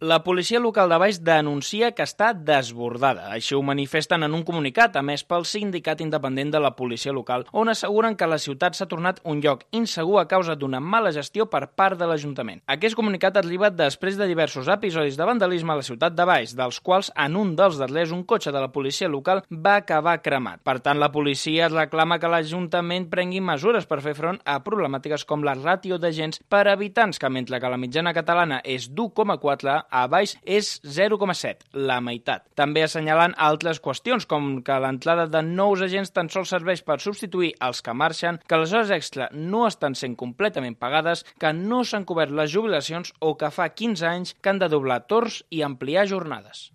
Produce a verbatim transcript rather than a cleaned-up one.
La policia local de Valls denuncia que està desbordada. Així ho manifesten en un comunicat emès pel Sindicat Independent de la Policia Local, on asseguren que la ciutat s'ha tornat un lloc insegur a causa d'una mala gestió per part de l'Ajuntament. Aquest comunicat arriba després de diversos episodis de vandalisme a la ciutat de Valls, dels quals en un dels darrers un cotxe de la policia local va acabar cremat. Per tant, la policia reclama que l'Ajuntament prengui mesures per fer front a problemàtiques com la ràtio d'agents per habitants, que mentre que la mitjana catalana és d'u coma quatre, a Valls és zero coma set, la meitat. També assenyalant altres qüestions, com que l'entrada de nous agents tan sols serveix per substituir els que marxen, que les hores extra no estan sent completament pagades, que no s'han cobert les jubilacions o que fa quinze anys que han de doblar torns i ampliar jornades.